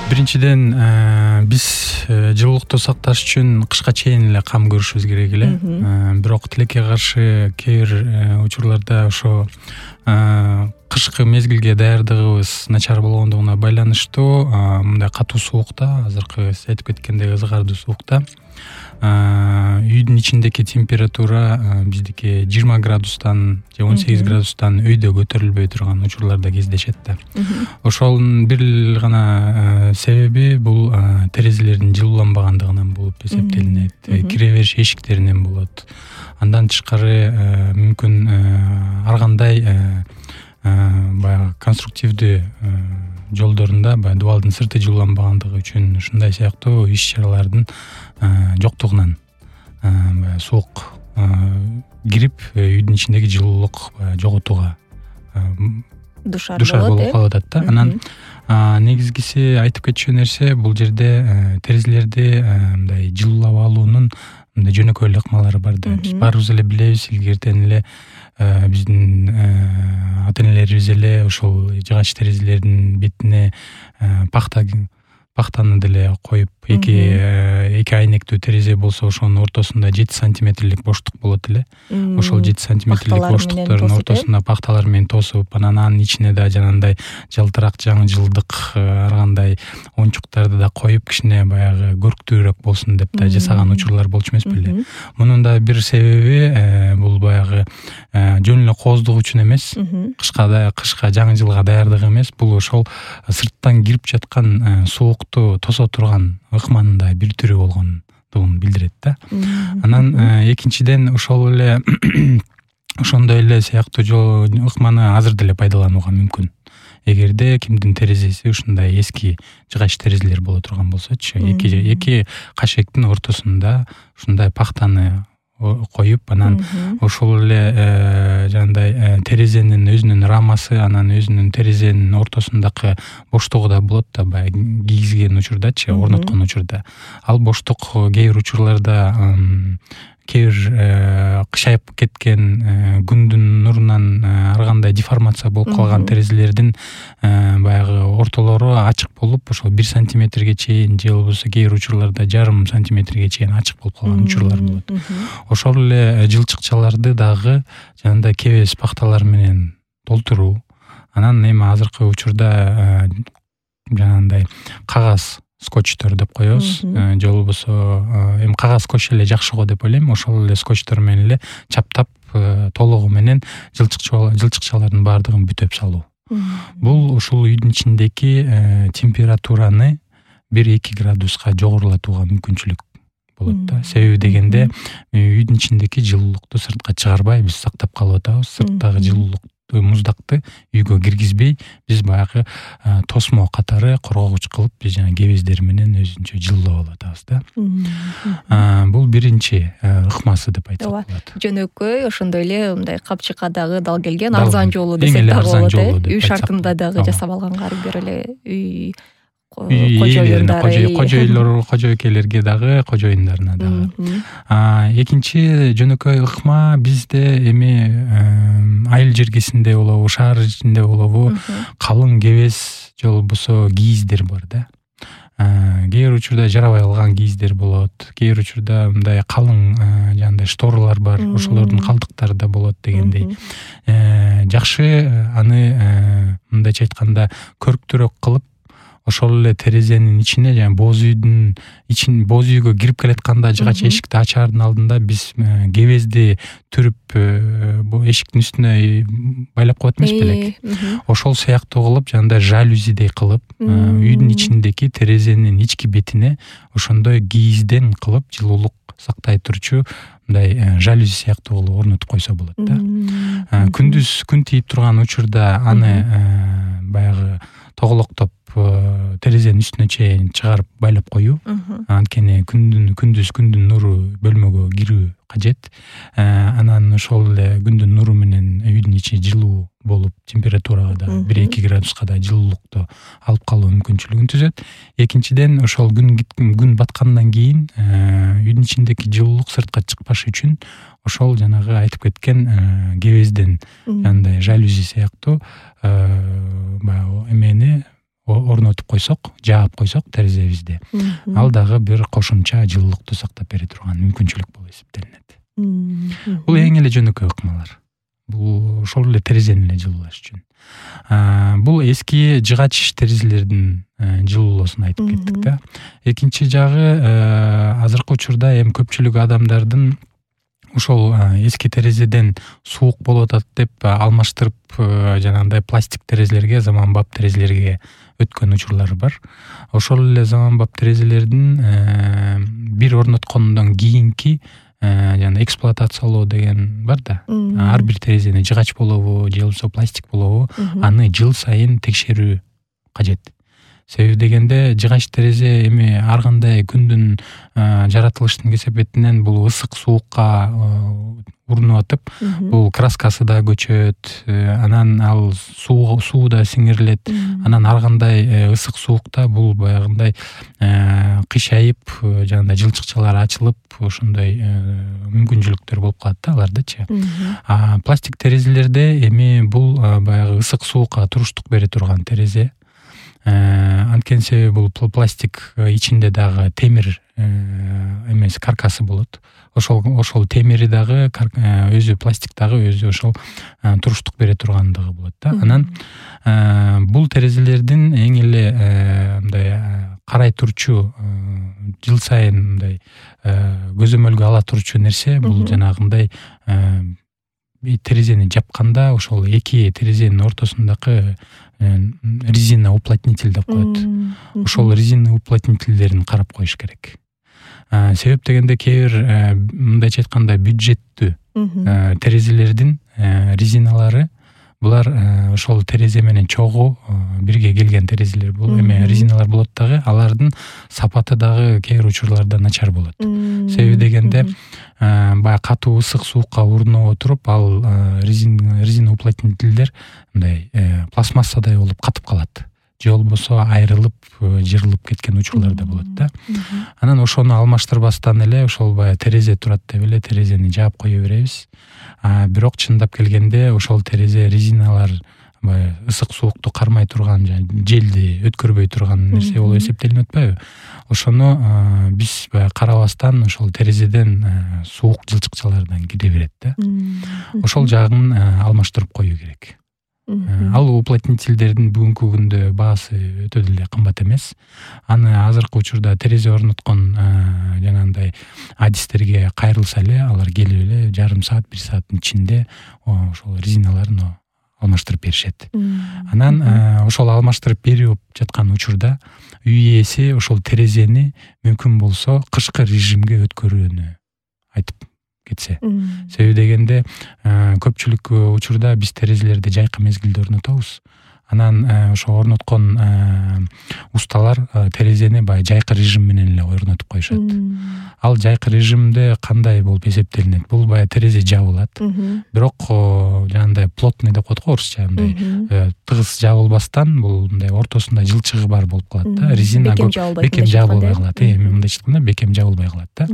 Биринчиден биз жылуулукту сакташ үчүн кышка чейин эле кам көрүшүбүз керек эле. Бирок тилекке каршы кээ бир учурларда ошо кышкы мезгилге даярдыгыбыз начар болгондугуна байланыштуу мындай катуу суукта, азыркы сиз айтып кеткендей ызгардуу суукта үйдүн ичиндеги температура биздики 20 градустан же 18 градустан өйдө көтөрүлбөй турган учурлар да кездешет да. Ошонун бир эле гана себеби бул терезелердин жылууланбагандыгынан болуп эсептелинет. Кире бериш эшиктеринен болот. Андан тышкары мүмкүн ар кандай баягы конструктивдүү жолдорунда баягы дубалдын сырты жылууланбагандыгы үчүн ушундай сыяктуу иш-чаралардын жоктугунан суук кирип үйдүн ичиндеги жылуулук жоготууга душар болуп калып атат да. Анан негизгиси айтып кетчү нерсе бул жерде терезелерди мындай жылуулап алуунун мындай жөнөкөй эле ыкмалары бар да. Биз баарыбыз эле билебиз, илгертен эле биздин ата энелерибиз эле ошол жыгач терезелердин бетине пахтаны деле коюп, эки айнектүү терезе болсо ошонун ортосунда 7 сантиметрлик боштук болот эле. Ошол 7 сантиметрлик боштуктардын ортосуна пахталар менен тосуп, анан ичине да жанагындай жалтырак жаңы-жылдык ар кандай оюнчуктарды да коюп, кичине баягы көрктүүрөөк болсун деп да жасаган учурлар болчу эмес беле. Мунун да бир себеби бул баягы жөн эле кооздук үчүн эмес, кышка жаңы жылга даярдык эмес, бул ошол сырттан кирип жаткан суукту тосо турган ыкманын да бир түрү болгондугун билдирет да. Анан экинчиден ошол эле ошондой эле сыяктуу ыкманы азыр деле пайдаланууга мүмкүн. Эгерде кимдин терезеси ушундай эски жыгач терезелер боло турган болсочу, эки кашектин ортосунда ушундай пахтаны коюп, анан ошол эле жандай терезенин өзүнүн рамасы, анан өзүнүн терезенин ортосундагы боштугу да болот да, баягы кийгизген учурдачы, орноткон учурда. Ал боштук кээ бир учурларда кээ бир кышайып кеткен күндүн нурунан ар кандай деформация болуп калган терезелердин баягы ортолору ачык болуп, ошол 1 сантиметрге чейин же болбосо кээ бир учурларда 0,5 сантиметрге чейин ачык болуп калган учурлар болот. Ошол эле жылчыкчаларды дагы жанагындай кебес пахталар менен толтуруу. Анан эми азыркы учурда жанагындай кагаз скотчтор деп коебуз, же болбосо эми кагаз скотч эле жакшы го деп ойлойм. Ошол эле скотчтор менен эле чаптап толугу менен жылчыкчалардын баардыгын бүтөп салуу. Бул ушул үйдүн ичиндеги температураны 1-2 градуска жогорулатууга мүмкүнчүлүк болот да. Себеби дегенде үйдүн ичиндеги жылуулукту сыртка чыгарбай биз сактап калып атабыз. Сырттагы жылуулукту, муздакты үйгө киргизбей, биз баягы тосмо катары коргогуч кылып, биз жана кебездер менен өзүнчө жылуулап алып атабыз да. Бул биринчи ыкмасы деп айтсак болот. Жөнөкөй, ошондой эле мындай капчыкка дал келген арзан жолу десек да болот. Үй шартында дагы жасап алганга ар бир эле үй кожоюкелерге дагы, кожоюндарына дагы. Экинчи жөнөкөй ыкма бизде эми айыл жергесинде болобу, шаар ичинде болобу, калың кебес же болбосо кийиздер бар да. Кээ бир учурда жарабай калган кийиздер болот, кээ бир учурда мындай калың жандай шторалар бар, ошолордун калдыктары да болот дегендей. Жакшы аны мындайча айтканда көрктүүрөөк кылып, ошол эле терезенин ичине, жана боз үйгө кирип келатканда жыгач эшикти ачаардын алдында биз кебезди түрүп эшиктин үстүнө байлап коет эмес белек. Ошол сыяктуу кылып, жандай жалюзидей кылып, үйдүн ичиндеги терезенин ички бетине ошондой кийизден кылып жылуулук сактай турчу мындай жалюзи сыяктуу кылып орнотуп койсо болот да. Күндүз күн тийип турган учурда аны баягы тоголоктоп терезенин үстүнө чейин чыгарып байлап коюу. Анткени күндүн нуру бөлмөгө кирүү кажет. Анан ошол эле күндүн нуру менен үйдүн ичи жылуу болуп, температурага да 1-2 градуска да жылуулукту алып калуу мүмкүнчүлүгүн түзөт. Экинчиден, ошол күн баткандан кийин үйдүн ичиндеги жылуулук сыртка чыкпаш үчүн ошол жанагы айтып кеткен кебезден жандай жалюзи сыяктуу баягы эмени орнотуп койсок, жаап койсок терезебизди, ал дагы бир кошумча жылуулукту сактап бере турган мүмкүнчүлүк болуп эсептелинет. Бул эң эле жөнөкөй ыкмалар. Бул ошол эле терезени эле жылуулаш үчүн. Бул эски жыгач терезелердин жылуулоосун айтып кеттик да. Экинчи жагы, азыркы учурда эми көпчүлүк адамдардын ошол эски терезеден суук болуп атат деп алмаштырып, жанагындай пластик терезелерге, заманбап терезелерге өткөн учурлар бар. Ошол эле заманбап терезелердин бир орноткондон кийинки жана эксплуатациялоо деген бар да. Ар бир терезени жыгач болобу, же болбосо пластик болобу, аны жыл сайын текшерүү кажет. Себеби дегенде жыгач терезе эми ар кандай күндүн жаратылыштын кесепетинен бул ысык суукка урунуп атып, бул краскасы да көчөт, анан ал суу да сиңирилет, анан ар кандай ысык суукта бул баягындай кыйшайып, жанагындай жылчыкчалар ачылып, ошондой мүмкүнчүлүктөр болуп калат да алардачы. Пластик терезелерде эми бул баягы ысык суукка туруштук бере турган терезе. Анткени себеби бул пластик ичинде дагы темир эмес каркасы болот. Ошол темири дагы өзү пластик дагы өзү ошол туруштук бере тургандыгы болот да. Анан бул терезелердин эң эле мындай карай турчу, жыл сайын мындай көзөмөлгө ала турчу нерсе бул жанагындай терезени жапканда ошол эки терезенин ортосундагы резина уплотнитель деп коет. Ошол резина уплотнительдерин карап коюш керек. Себеп дегенде кээ бир мындайча айтканда бюджеттүү терезелердин резиналары булар ошол терезе менен чогуу бирге келген терезелер бул эме резиналар болот дагы, алардын сапаты дагы кээ бир учурларда начар болот. Себеби дегенде баягы катуу ысык суукка урунуп отуруп, ал резина уплотнительдер мындай пластмассадай болуп катып калат. Же болбосо айрылып, жырылып кеткен учурлар да болот да. Анан ошону алмаштырбастан эле ошол баягы терезе турат деп эле терезени жаап кое беребиз. Бирок чындап келгенде ошол терезе резиналар баягы ысык суукту кармай турган, желди өткөрбөй турган нерсе болуп эсептелип атпайбы? Ошону биз баягы карабастан ошол терезеден суук жылчыкчалардан кире берет да. Ошол жагын алмаштырып коюу керек. Ал уплотнительдердин бүгүнкү күндө баасы өтө деле кымбат эмес. Аны азыркы учурда терезе орноткон жанагындай адистерге кайрылса эле, алар келип эле жарым саат, 1 сааттын ичинде ошол резиналарын алмаштырып беришет. Анан ошол алмаштырып берип жаткан учурда үй ээси ошол терезени мүмкүн болсо кышкы режимге өткөрүүнү айтып кетсе. Себеби дегенде көпчүлүк учурда биз терезелерди жайкы мезгилде орнотобуз. Анан ошо орноткон усталар терезени баягы жайкы режим менен эле орнотуп коюшат. Ал жайкы режимде кандай болуп эсептелинет? Бул баягы терезе жабылат. Бирок жанагындай плотный деп коет го орусча, мындай тыгыз жабылбастан бул мындай ортосунда жылчыгы бар болуп калат да. Резина бекем жабылбай калат. Эми мындайча айтканда бекем жабылбай калат да.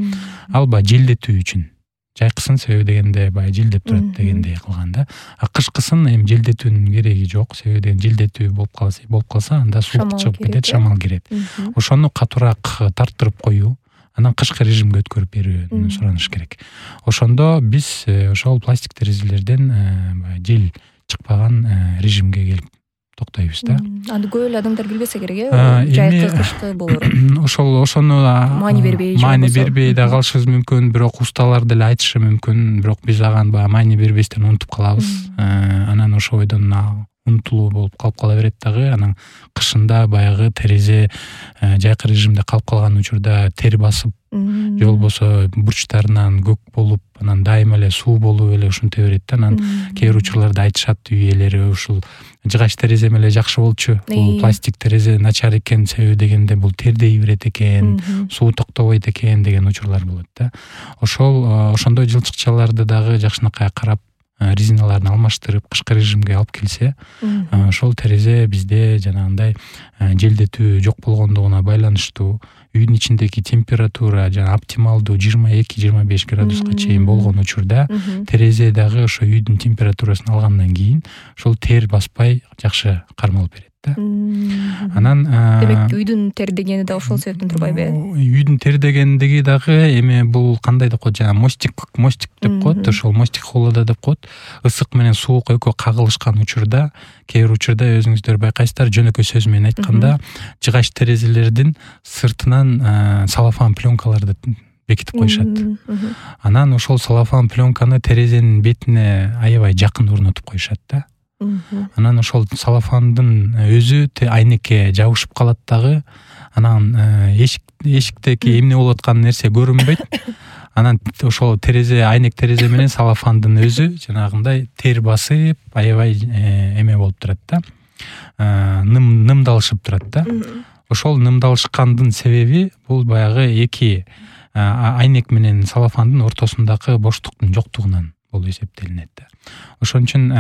Ал баягы желдетүү үчүн. Жайкысын себеби дегенде баягы желдеп турат дегендей кылган да. Кышкысын эми желдетүүнүн кереги жок. Себеби дегенде желдетүү болуп калса, анда суук чыгып кетет, шамал кирет. Ошону катуураак тарттырып коюу, анан кышкы режимге өткөрүп берүүнү сураныш керек. Ошондо биз ошол пластик терезелерден жел чыкпаган режимге келип токтойбуз да. Аны көп эле адамдар билбесе керек, жайкы кышкы болорун. Ошону маани бербей да калышыбыз мүмкүн, бирок усталар деле айтышы мүмкүн, бирок биз ага баягы маани бербестен унутуп калабыз. Анан ошо бойдон унутулуу болуп калып кала берет дагы. Анан кышында баягы терезе жайкы режимде калып калган учурда тер басып, же болбосо бурчтарынан көк болуп, анан дайыма эле суу болуп эле ушинте берет да. Анан кээ бир учурларда айтышат үй ээлери, ушул жыгач терезе эле жакшы болчу, бул пластик терезе начар экен, себеби дегенде бул тердей берет экен, суу токтобойт экен деген учурлар болот да. Ошондой жылчыкчаларды дагы жакшынакай карап, резиналарын алмаштырып, кышкы режимге алып келсе, ошол терезе бизде жанагындай желдетүү жок болгондугуна байланыштуу, үйдүн ичиндеги температура жана оптималдуу 22-25 градуска чейин болгон учурда терезе дагы ошо үйдүн температурасын алгандан кийин ошол тер баспай жакшы кармалып берет. да. Анан демек үйдүн тердегени да ошол себептен турбайбы? Үйдүн тердегендиги дагы эми бул кандай деп коет, жана мостик деп коет, ошол мостик холода деп коет. Ысык менен суук экөө кагылышкан учурда, кээ бир учурда өзүңүздөр байкайсыздар, жөнөкөй сөз менен айтканда, жыгач терезелердин сыртынан салофан пленкаларды бекитип коюшат. Анан ошол салофан пленканы терезенин бетине аябай жакын орнотуп коюшат да. Анан ошол салофандын өзү айнекке жабышып калат дагы. Анан эшиктеги эмне болуп аткан нерсе көрүнбөйт. Анан ошол айнек терезе менен салофандын өзү жанагындай тер басып, аябай эме болуп турат да. Нымдалышып турат да. Ошол нымдалышкандын себеби бул баягы эки айнек менен салофандын ортосундагы боштуктун жоктугунан болуп эсептелинет да. Ошон үчүн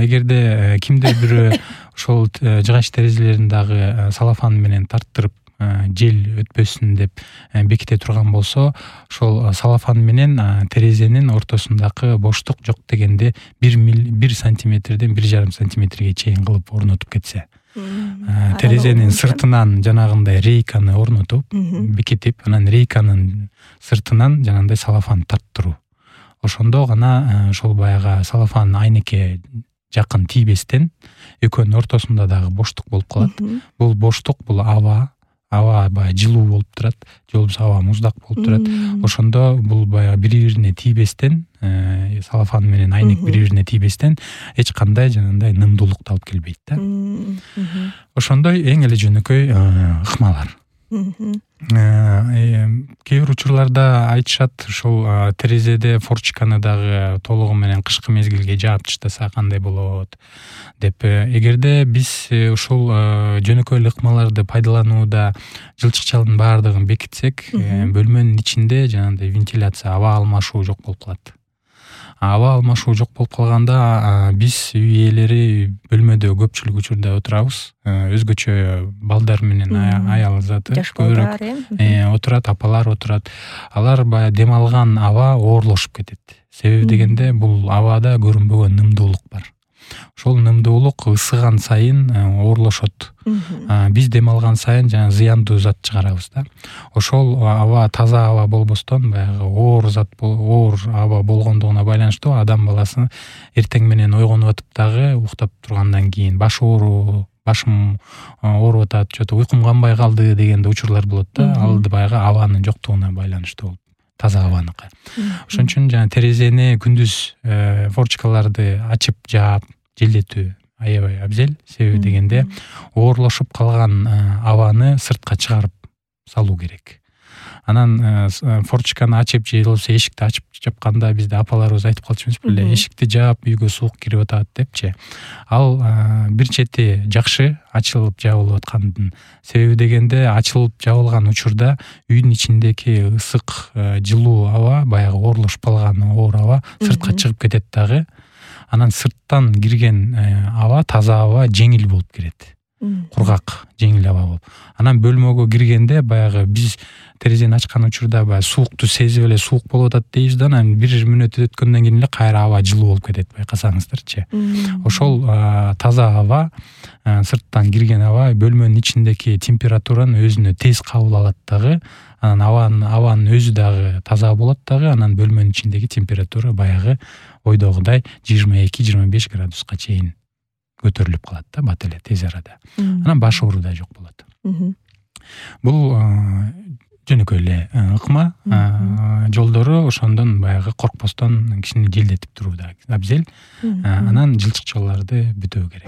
эгерде кимдир бирөө ошол жыгач терезелерин дагы салофан менен тарттырып жел өтпөсүн деп беките турган болсо, ошол салофан менен терезенин ортосундагы боштук жок дегенде 1 сантиметрден 1,5 сантиметрге чейин кылып орнотуп кетсе, терезенин сыртынан жанагындай рейканы орнотуп, бекитип, анан рейканын сыртынан жанагындай салофан тарттыруу. Ошондо гана ошол баягы салофан айнекке жакын тийбестен экөөнүн ортосунда дагы боштук болуп калат. Бул боштук, бул аба баягы жылуу болуп турат, же болбосо аба муздак болуп турат. Ошондо бул баягы бири-бирине тийбестен, салофан менен айнек бири-бирине тийбестен эч кандай жанагындай нымдуулукту алып келбейт да. Ошондой эң эле жөнөкөй ыкмалар. Кээ бир учурларда айтышат, ушул терезеде форчканы дагы толугу менен кышкы мезгилге жаап таштаса кандай болот деп. Эгерде биз ушул жөнөкөй ыкмаларды пайдаланууда жылчыкчалардын баардыгын бекитсек, бөлмөнүн ичинде жанагындай вентиляция, аба алмашуу жок болуп калат. Аба алмашуу жок болуп калганда биз үй ээлери бөлмөдө көпчүлүк учурда отурабыз. Өзгөчө балдар менен аял заты көбүрөөк отурат, апалар отурат. Алар баягы дем алган аба оорлошуп кетет. Себеби дегенде бул абада көрүнбөгөн нымдуулук бар. Ошол нымдуулук ысыган сайын оорлошот. Биз дем алган сайын жана зыяндуу зат чыгарабыз да. Ошол аба таза аба болбостон, баягы оор аба болгондугуна байланыштуу адам баласы эртең менен ойгонуп атып дагы уктап тургандан кийин башым ооруп атат, что-то уйкум канбай калды дегенде учурлар болот да. Ал баягы абанын жоктугуна байланыштуу болуп, таза абаныкы. Ошон үчүн жана терезени күндүз форчкаларды ачып жаап желдетүү аябай абзел. Себеби дегенде оорлошуп калган абаны сыртка чыгарып салуу керек. Анан форчканы ачып же болбосо эшикти ачып жапканда бизде апаларыбыз айтып калчу эмес беле, эшикти жаап үйгө суук кирип атат депчи. Ал бир чети жакшы ачылып жабылып аткандын себеби дегенде, ачылып жабылган учурда үйдүн ичиндеги ысык, жылуу аба, баягы оорлошуп калган оор аба сыртка чыгып кетет дагы. Анан сырттан кирген аба, таза аба жеңил болуп кирет. Кургак, жеңил аба болуп. Анан бөлмөгө киргенде баягы биз терезени ачкан учурда баягы суукту сезип эле суук болуп атат дейбиз да, анан 1 мүнөт өткөндөн кийин эле кайра аба жылуу болуп кетет, байкасаңыздарчы. Ошол таза аба, сырттан кирген аба бөлмөнүн ичиндеги температураны өзүнө тез кабыл алат дагы. Анан абанын өзү дагы таза болот дагы. Анан бөлмөнүн ичиндеги температура баягы ойдогудай 22-25 градуска чейин көтөрүлүп калат да, бат эле тез арада. Анан баш оору да жок болот. Бул жөнөкөй эле ыкма. Жолдору ошондон баягы коркпостон кишини желдетип туруу да абзел. Анан жылчыкчаларды бүтөө керек.